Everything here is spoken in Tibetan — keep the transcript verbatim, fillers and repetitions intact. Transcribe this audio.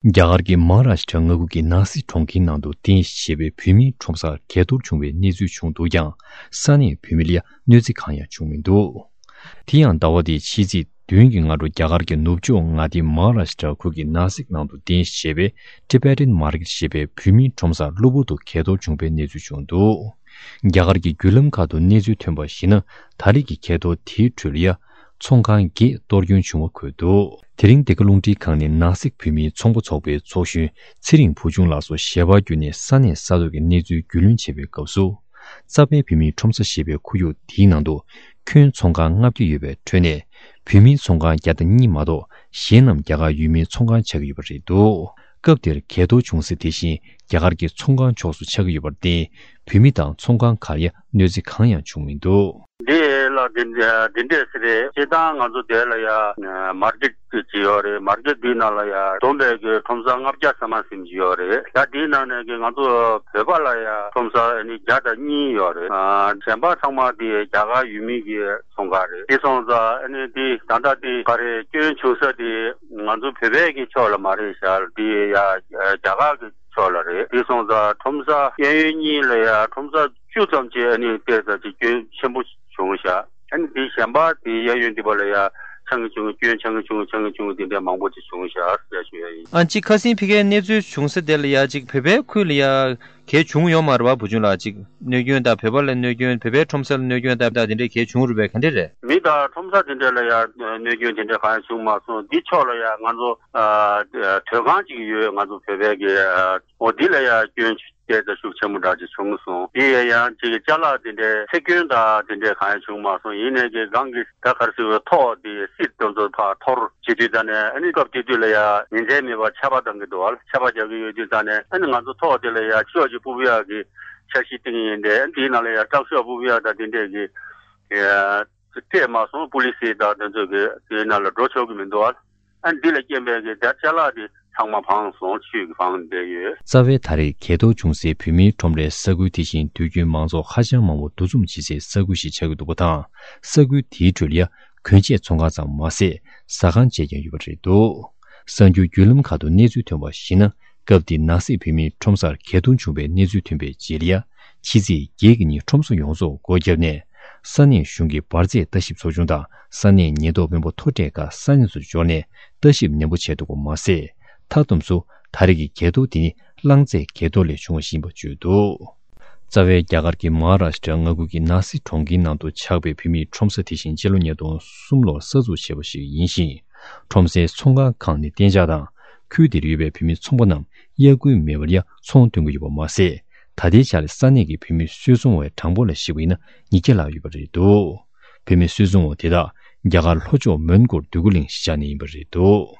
རྒྱ་གར་གྱི་མ་ཧཱ་རཱ་ཤི་ཊ་མངའ་ཁུལ་གྱི་ནཱ་སིག་གྲོང་ཁྱེར་ནང་དུ་རྟེན་གཞི་བྱས་པའི་བོད་མིའི་ཁྲོམ་སར་གས་གཏོར་བྱུང་བའི་གནས་ཚུལ་བྱུང་འདུག་ཀྱང་། ས་གནས་བོད་མི་ལ་ཡང་གནོད་འཚེ་གང་ཡང་བྱུང་མི་འདུག། དེ་ཡང་ཟླ་བ་འདིའི་ཕྱི་ཚེས་བདུན་གྱི་སྔ་དྲོ། རྒྱ་གར་གྱི་ནུབ་ཕྱོགས་མངའ་སྡེ་མ་ཧཱ་རཱ་ཤི་ཊ་ཁུལ་གྱི་ནཱ་སིག་ནང་དུ་རྟེན་གཞི་བྱས་པའི་Tibetan Market ཞེས་པའི་བོད་མིའི་ཁྲོམ་སར་གློ་བུར་དུ་གས་གཏོར་བྱུང་བའི་གནས་ཚུལ་བྱུང་འདུག། རྒྱ་གར་གྱི་བརྒྱུད་ལམ་ཁག་ཏུ་གནས་ཚུལ་ཐོན་པར་གཞིགས་ན། ད་རེས་ཀྱི་གས་གཏོར་དེའི་ཁྲོད་ལ་ཡང་ཚོང་ཁང་བརྒྱད་གཏོར་སྐྱོན་བྱུང་བ་འཁོད་འདུག། དེ་རིང་འདི་ག་རླུང་འཕྲིན་ཁང་ནས་ནཱ་སིག་བོད་མིའི་ཚོང་པ་ཚོགས་པའི་ཚོགས་གཞོན་ཚེ་རིང་བུ་ཆུང་ལགས་སུ་ཞལ་པར་བརྒྱུད་ནས་ས་གནས་ས་ཐོག་གི་གནས་ཚུལ་རྒྱུས་ལོན་བྱེད་པའི་སྐབས་སུ། རྩ་བའི་བོད་མིའི་ཁྲོམ་ས་ཞེས་པའི་ཁོར་ཡུག་འདིའི་ནང་དུ་ཁྱོན་ཚོང་ཁང་ལྔ་བརྒྱ་ཡོད་པའི་ཁྲོད་ནས། བོད་མིའི་ཚོང་ཁང་བརྒྱ་དང་གཉིས་མ་གཏོགས་གཞན་རྣམས་རྒྱ་གར་ཡུལ་མིའི་ཚོང་ཁང་ཆགས་ཀྱི་ཡོད་པ་རེད་འདུག། སྐབས་དེར་གས་གཏོར་བྱུང་ས་དེ་བཞིན་རྒྱ་གར་གྱི་ཚོང་ཁང་ཕྱོགས་སུ་ཆགས་ཀྱི་ཡོད་པར་བརྟེན། བོད་མི་དང་ཚོང་ཁང་ཁག་ལ་གནོད་འཚེ་གང་ཡང་བྱུང་མི་འདུག། འདི་ལ་འདི་འདི་འདྲས་ཟེར་རེད། སྤྱིར་བཏང་ང་ཚོ་དེ་ལ་ཡ་མར་ཀེཊ་ཅིག་ཡོད་རེད། མར་ཀེཊ་འདིའི་ནང་ལ་ཡ་བསྡོམས་པའི་གི་ཁྲོམ་ས་ལྔ་བརྒྱ་ཟེར་མ་ཟིན་གྱི་ཡོད་རེད། ད་འདིའི་ནང་ནས་གི་ང་ཚོ་བོད་པ་ལ་ཡ་ཁྲོམ་ས་ནི་བརྒྱ་དང་གཉིས་ཡོད་རེད། ཨ་གཞན་པ་ཚང་མ་དེ་རྒྱ་གར་ཡུལ་མི་གི་ཚོང་ཁང་རེད། དེ་སོང་ཙང་ཨ་ནི་དེ་ད་ལྟ་དེ་ག་རེ་སྐྱོན་བྱུང་ས་དེ་ང་ཚོ་བོད་པའི་གི་ཕྱོགས་ལ་མ་རེད་ཤག། དེ་ཡ་རྒྱ་གར་གི་ཕྱོགས་ལ་རེད། དེ་སོང་ཙང་ཁྲོམ་ས་གཡས་གཡོན་གཉིས་ལ་ཡ་ཁྲོམ་ས་བཅུ་ཙམ་ཅིག་ཨ་ནི་བལྟས་ཙང་ཅིག་སྐྱོན་ཆེན་པོ་བྱུང་ཤག། ཨ་ནི་དེ་གཞན་པ་དེ་གཡས་གཡོན་དེ་པ་ལ་ཡ་ཆང་གི་བྱུང་། སྐྱོན་ཆང་གི་བྱུང་། ཆང་གི་བྱུང་། དེ་འདྲ་མང་པོ་ཅིག་བྱུང་ཤག་ཟེར་ཞུ་ཡ་ཡིན། ཨ་ཅིག་ཁ་སང་ཕ་གིའི་གནས་ཚུལ་བྱུང་ས་དེ་ལ་ཡ་ཅིག་བོད་པའི་ཁུལ་ལ་ཡ་གས་བྱུང་ཡོད་མ་རེད་བ། བུ་ཆུང་ལགས། ཅིག་གནོད་སྐྱོན་དང་། བོད་པ་ལ་གནོད་སྐྱོན། བོད་པའི་ཁྲོམ་ས་ལ་གནོད་སྐྱོན་དང་། དེ་འདྲའི་གས་བྱུང་རེད་པས། ག་འདྲ་རེད། མི་དང་ཁྲོམ་ས་དེ་འདྲ་ལ་ཡ་གནོད་སྐྱོན་དེ་འདྲ་གང་ཡང་བྱུང་མ་སོང་། འདི་ཕྱོགས་ལ་ཡ་ང་ཚོ་ཨ་དོས་ཁང་ཅིག་ཡོད། ང་ཚོ་བོད་པའི་གི་ཨ་འོ་འདི་ལ་ཡ་སྐྱོན་དེ་ད་ཤུགས་ཆེན་པོ་འདྲ་ཅིག་བྱུང་སོང་། དེ་ཡ་ཡང་ཅིག་ཅ་ལག་དེ་འདྲའི་ཚེ་སྐྱོན་དང་དེ་འདྲའི་གང་ཡང་བྱུང་མ་སོང་། ཡིན་ནའི་གི་སྒང་གི་ད་ག་རེ་ཟེར་བའི་ཐོག་དེ་སིད་དེ་ཚོ་ཕར་འཐོར་བྱེད་དུས་ཙ་ནས། ཨ་ནི་སྐབས་དེ་དུས་ལ་ཡ་ཉིན་མཚན་མེད་པར་ཆར་པ་བཏང་གི་འདུག་བ། ཆར་པ་རྒྱག་གི་ཡོད་དུས་ཙ་ནས། ཨ་ནི་ང་ཚོ་ཐོག་དེ་ལ་ཡ་ཤོག་ཅིག་སྤུབ་ཡག་གི་འཆར་གཞི་བཏིང་ཡིན་ཏེ། ཨ་ནི་དེའི་ནང་ལ་ཡ་ཊག་ཤོག་སྤུབ་ཡག་དང་དེ་འདྲས་ཀྱི་ཡ་སྤྲད་མ་སོང་། པུ་ལི་སི་དང་དེ་ཚོ་གི་དེའི་ནང་ལ་འགྲོ་ཆོག་གི་མི་འདུག་བ། ཨ་ནི་འདི་ལ་རྐྱེན་པས་གི་དེ་ཅ་ལག་དེ་ཚང་མ་བང་སོང་། ཆུས་གི་བང་བསྡད་ཡོད། རྩ་བའི་ད་རེས་གས་གཏོར་བྱུང་སའི་བོད་མིའི་ཁྲོམ་རའི་ས་ཁུལ་དེ་བཞིན་དུས་རྒྱུན་མང་ཚོགས་ཧ་ཅང་མང་པོ་འདུ་འཛོམས་བྱེད་སའི་ས་ཁུལ་ཞིག་ཆགས་ཀྱི་འདུག་པ་དང་། ས་ཁུལ་དེའི་ཁྲོད་ལ་ཡ་གོན་ཆས་ཚོང་ཁང་ཙམ་མ་ཟད། ཟ་ཁང་བཅས་ཀྱང་ཡོད་པ་རེད་འདུག། གསར་འགྱུར་བརྒྱུད་ལམ་ཁག་ཏུ་གནས་ཚུལ་ཐོན་པར་གཞིགས་ན། སྐབས་འདིར་ནང་སྲིད་བོད་མིའི་ཁྲོམ་སར་གས་གཏོང་བྱུང་བའི་གནས་ཚུལ་ཐོན་པའི་རྗེས་ལ་ཡ། ཕྱི་ཚེས་བརྒྱད་ཀྱི་ཉིན་ཁྲོམ་ས་ཡོངས་རྫོགས་སྒོ་བརྒྱབ་ནས། ས་གནས་གཞུང་གི་འབར་རྫས་ལྟ་ཞིབ་ཚོགས་ཆུང་དང་ས་གནས་ཉེན་རྟོག་དཔོན་པོ་མཐོ་གྲས་ཁག་ས་གནས་སུ་འབྱོར་ནས་ལྟ་ཞིབ་ནན་པོ་བྱས་འདུག་པ་མ་ཟད། མཐའ་བསྡོམས་སུ་ད་རེས་ཀྱི་གས་གཏོར་དེ་ནི་རླངས་རྫས་གས་གཏོར་ལས་བྱུང་བ་ཞིག་ཡིན་པ་བརྗོད་འདུག། རྩ་བའི་རྒྱ་གར་གྱི་མ་ཧཱ་རཱ་ཤི་ཊ་མངའ་ཁུལ་གྱི་ནཱ་སི་གྲོང་ཁྱེར་ནང་དུ་ཆགས་པའི་བོད་མིའི་ཁྲོམ་ས་དེ་བཞིན་སྤྱི་ལོ་ཉིས་སྟོང་གསུམ་ལོར་གསར་འཛུགས་བྱས་པ་ཞིག་ཡིན་ཞིང་། ཁྲོམ་སའི་ཚོང་ཁང་ཁག་ནི་གཏན་འཇགས་དང་། ཁུལ་དེར་ཡོད་པའི་བོད་མི་ཚོང་པ་རྣམས་གཡར་དགོས་མེད་པར་ཡང་ཚོང་འདོན་གྱི་ཡོད་པ་མ་ཟད། ད་ལྟའི་ཆར་ས་གནས་ཀྱི་བོད་མི་སུད་ཚོང་བའི་གྲངས་འབོར་ལ་གཞིགས་པ་ཡིན་ན་ཉིས་བརྒྱ་ལྷག་ཡོད་པ་རེད་འདུག། བོད་མི་སུད་ཚོང་བ་དེ་དག་རྒྱ་གར་ལྷོ་ཕྱོགས་མོན་གྷོར་སྡོད་གུ་གླེང་གཞི་བཞག་ནས་ཡིན་པ་རེད་འདུག།